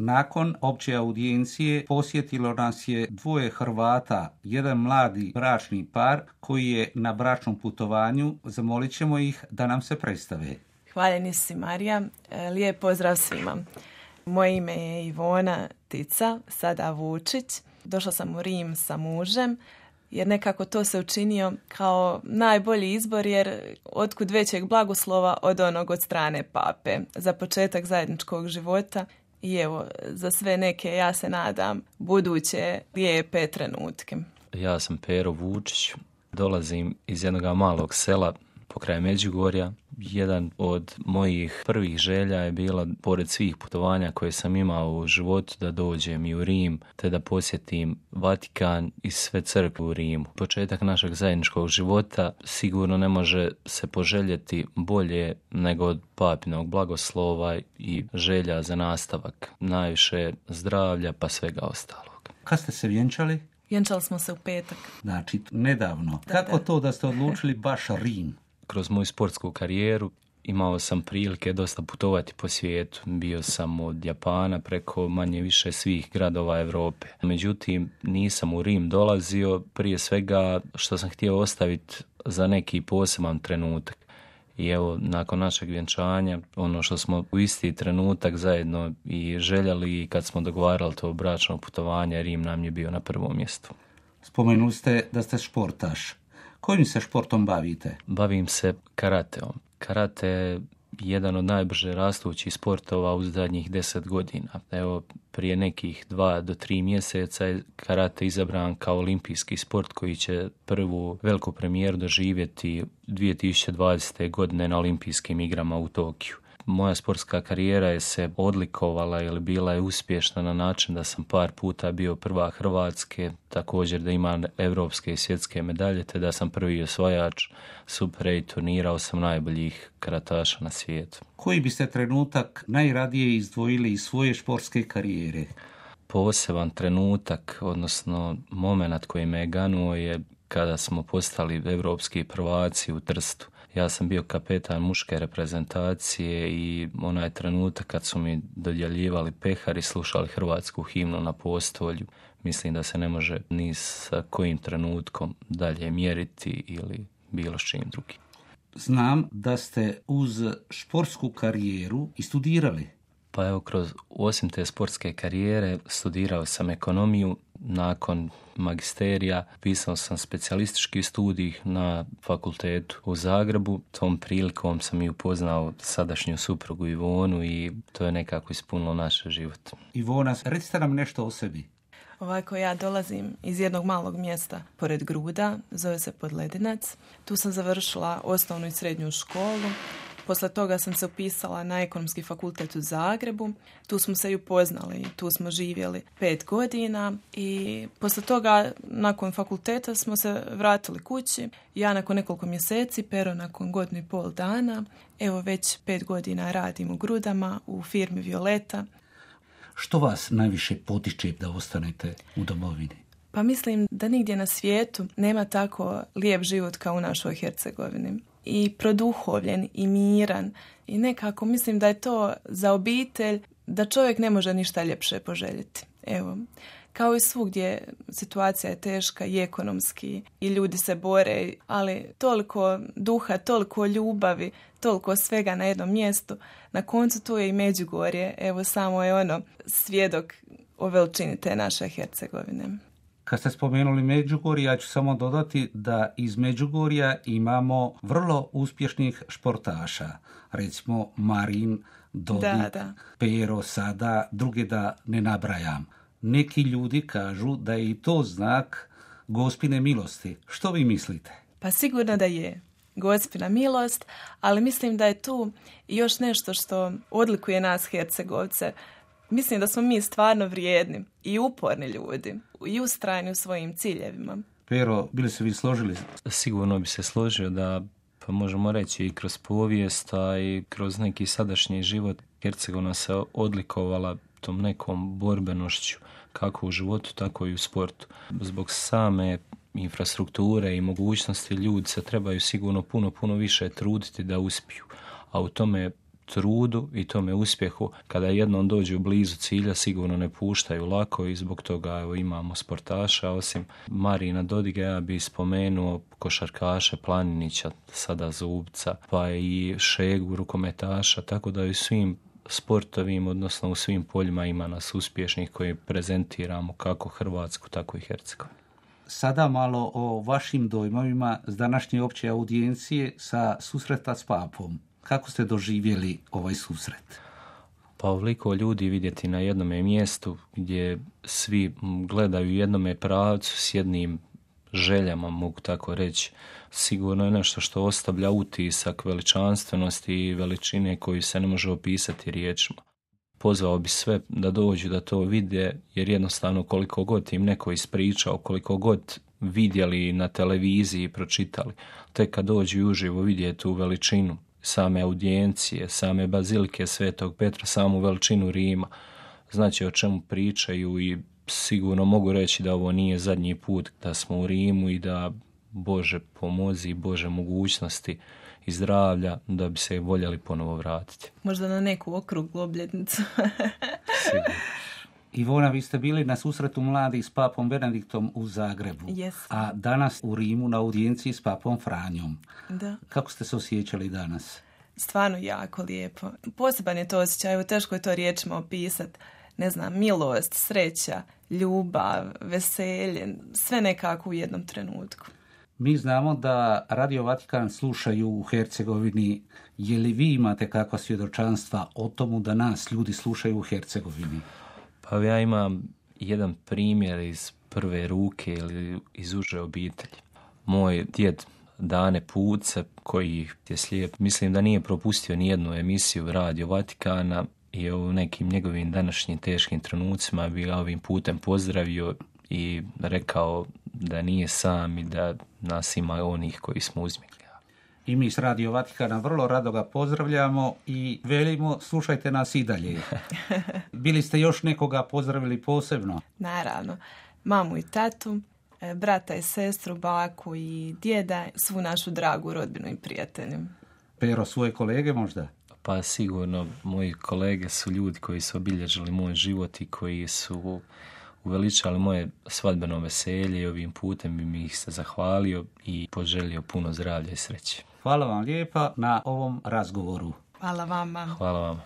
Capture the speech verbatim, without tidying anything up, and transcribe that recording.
Nakon opće audijencije posjetilo nas je dvoje Hrvata, jedan mladi bračni par koji je na bračnom putovanju. Zamolit ćemo ih da nam se predstave. Hvaljeni si, Marija. Lijep pozdrav svima. Moje ime je Ivona Tica, sada Vučić. Došla sam u Rim sa mužem, jer nekako to se učinio kao najbolji izbor, jer otkud većeg blagoslova od onog od strane pape. Za početak zajedničkog života i evo, za sve neke, ja se nadam, buduće lijepe trenutke. Ja sam Pero Vučić, dolazim iz jednog malog sela pokraj Međugorja. Jedan od mojih prvih želja je bila, pored svih putovanja koje sam imao u životu, da dođem i u Rim, te da posjetim Vatikan i sve crkve u Rimu. Početak našeg zajedničkog života sigurno ne može se poželjeti bolje nego od papinog blagoslova i želja za nastavak. Najviše zdravlja pa svega ostalog. Kad ste se vjenčali? Vjenčali smo se u petak. Znači, nedavno. Da, Kako da. to da ste odlučili baš Rim? Kroz moju sportsku karijeru imao sam prilike dosta putovati po svijetu. Bio sam od Japana preko manje više svih gradova Europe. Međutim, nisam u Rim dolazio prije svega što sam htio ostaviti za neki poseban trenutak. I evo, nakon našeg vjenčanja, ono što smo u isti trenutak zajedno i željeli, i kad smo dogovarali to bračno putovanje, Rim nam je bio na prvom mjestu. Spomenuli ste da ste športaš. Kojim se športom bavite? Bavim se karateom. Karate je jedan od najbrže rastućih sportova u zadnjih deset godina. Evo, prije nekih dva do tri mjeseca je karate izabran kao olimpijski sport koji će prvu veliku premijeru doživjeti dvije tisuće dvadesete. godine na olimpijskim igrama u Tokiju. Moja sportska karijera je se odlikovala ili bila je uspješna na način da sam par puta bio prva Hrvatske, također da imam evropske i svjetske medalje, te da sam prvi osvajač Super osam turnira, osam najboljih karataša na svijetu. Koji biste trenutak najradije izdvojili iz svoje športske karijere? Poseban trenutak, odnosno moment koji me je ganuo je kada smo postali evropski prvaci u Trstu. Ja sam bio kapetan muške reprezentacije i onaj trenutak kad su mi dodjeljivali pehar i slušali hrvatsku himnu na postolju, mislim da se ne može ni sa kojim trenutkom dalje mjeriti ili bilo s čim drugim. Znam da ste uz športsku karijeru i studirali. Pa evo, kroz osim te sportske karijere studirao sam ekonomiju. Nakon magisterija pisao sam specijalistički studij na fakultetu u Zagrebu. Tom prilikom sam i upoznao sadašnju suprugu Ivonu i to je nekako ispunilo naš život. Ivona, recite nam nešto o sebi. Ovako, ja dolazim iz jednog malog mjesta pored Gruda, zove se Podledinac. Tu sam završila osnovnu i srednju školu. Posle toga sam se upisala na ekonomski fakultet u Zagrebu. Tu smo se i upoznali, tu smo živjeli pet godina i posle toga nakon fakulteta smo se vratili kući. Ja nakon nekoliko mjeseci, Pero nakon godinu i pol dana. Evo već pet godina radim u Grudama u firmi Violeta. Što vas najviše potiče da ostanete u domovini? Pa mislim da nigdje na svijetu nema tako lijep život kao u našoj Hercegovini. I produhovljen i miran i nekako mislim da je to za obitelj da čovjek ne može ništa ljepše poželjeti. Evo, kao i svugdje situacija je teška i ekonomski i ljudi se bore, ali toliko duha, toliko ljubavi, toliko svega na jednom mjestu. Na koncu tu je i Međugorje, evo samo je ono svjedok o veličini te naše Hercegovine. Kad ste spomenuli Međugorje, ja ću samo dodati da iz Međugorja imamo vrlo uspješnih športaša. Recimo Marin, Dodik, da, da. Pero sada, druge da ne nabrajam. Neki ljudi kažu da je i to znak Gospine milosti. Što vi mislite? Pa sigurno da je Gospina milost, ali mislim da je tu još nešto što odlikuje nas Hercegovce. Mislim da smo mi stvarno vrijedni i uporni ljudi i ustrajni u svojim ciljevima. Pero, bili se vi složili? Sigurno bi se složio da, pa možemo reći, i kroz povijest, a i kroz neki sadašnji život Hercegovina se odlikovala tom nekom borbenošću, kako u životu, tako i u sportu. Zbog same infrastrukture i mogućnosti ljudi se trebaju sigurno puno, puno više truditi da uspiju. A u tome trudu i tome uspjehu. Kada jednom dođu blizu cilja, sigurno ne puštaju lako i zbog toga evo, imamo sportaša. Osim Marina Dodiga, ja bih spomenuo košarkaše Planinića, sada Zubca, pa i Šegu, rukometaša, tako da i svim sportovim, odnosno u svim poljima ima nas uspješnih koji prezentiramo kako Hrvatsku, tako i Hercegovinu. Sada malo o vašim dojmovima s današnje opće audijencije sa susreta s papom. Kako ste doživjeli ovaj susret? Pa ovoliko ljudi vidjeti na jednome mjestu gdje svi gledaju u jednome pravcu s jednim željama, mogu tako reći. Sigurno je nešto što ostavlja utisak veličanstvenosti i veličine koju se ne može opisati riječima. Pozvao bi sve da dođu da to vide, jer jednostavno koliko god im neko ispričao, koliko god vidjeli na televiziji i pročitali, tek kad dođu i uživo vidjeti tu veličinu same audijencije, same bazilike Svetog Petra, samu veličinu Rima, znači o čemu pričaju i sigurno mogu reći da ovo nije zadnji put da smo u Rimu i da Bože pomozi i Bože mogućnosti i zdravlja da bi se voljeli ponovo vratiti. Možda na neku okruglu obljetnicu. Sigurno. Ivona, vi ste bili na susretu mladih s papom Benediktom u Zagrebu, yes. a danas u Rimu na audijenciji s papom Franjom. Da. Kako ste se osjećali danas? Stvarno jako lijepo. Poseban je to osjećaj, evo teško je to riječima opisati. Ne znam, milost, sreća, ljubav, veselje, sve nekako u jednom trenutku. Mi znamo da Radio Vatikan slušaju u Hercegovini. Je li vi imate kakva svjedočanstva o tomu da nas ljudi slušaju u Hercegovini? Pa ja imam jedan primjer iz prve ruke ili iz uže obitelji. Moj djed Dane Puce, koji je slijep, mislim da nije propustio nijednu emisiju Radio Vatikana i u nekim njegovim današnjim teškim trenucima bi ga ovim putem pozdravio i rekao da nije sam i da nas ima onih koji smo uzmigli. I mi s Radio Vatikana vrlo rado ga pozdravljamo i velimo slušajte nas i dalje. Bili ste još nekoga pozdravili posebno? Naravno. Mamu i tatu, brata i sestru, baku i djeda, svu našu dragu rodbinu i prijatelju. Pero, svoje kolege možda? Pa sigurno, moji kolege su ljudi koji su obilježili moj život i koji su uveličali moje svadbeno veselje i ovim putem bi mi ih se zahvalio i poželio puno zdravlja i sreće. Hvala vam lijepa na ovom razgovoru. Hvala vama. Hvala vama.